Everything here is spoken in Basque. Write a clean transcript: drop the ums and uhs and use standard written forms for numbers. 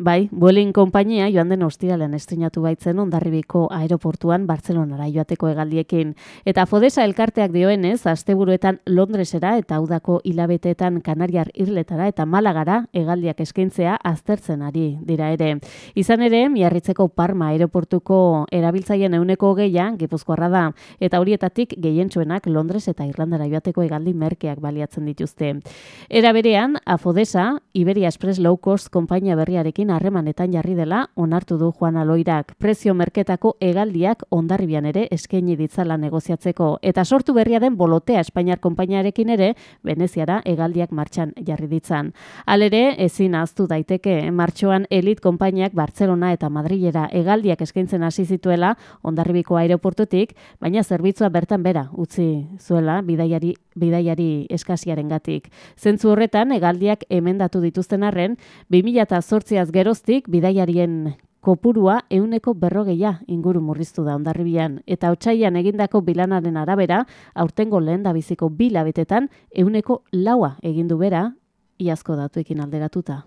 Bai, Vueling konpainia joan den ostiralean estreinatu baitzen Hondarribiko aeroportuan Bartzelonara joateko hegaldiekin. Eta Fodesa elkarteak dioenez, asteburuetan Londresera eta udako hilabeteetan Kanariar Irletara eta Malagara hegaldiak eskaintzea aztertzen ari dira ere. Izan ere, Miarritzeko Parma aeroportuko erabiltzaileen 20% Gipuzkoarra da, eta horietatik gehientsuenak Londres eta Irlandara joateko hegaldi merkeak baliatzen dituzte. Era berean, Fodesa, Iberia Express Low Cost konpainia berriarekin harremanetan jarri dela onartu du Juan Aloirak. Prezio merketako hegaldiak Hondarribian ere eskaini ditzala negoziatzeko. Eta sortu berria den Bolotea Espainiar konpainiarekin ere Veneziara hegaldiak martxan jarri ditzan. Halere, ezin ahaztu daiteke martxoan Elite konpainiak Bartzelona eta Madrilera hegaldiak eskaintzen hasi zituela Hondarribiko aireportutik, baina zerbitzua bertan bera utzi zuela bidaiari eskasiarengatik. Zentzu horretan, hegaldiak emendatu dituzten arren, 2008az geroztik bidaiarien kopurua 140 inguru murriztu da Hondarribian, eta otsailean egindako bilanaren arabera, aurtengo lehendabiziko 2 hilabetetan 4% egin du bera, iazko datuekin alderatuta.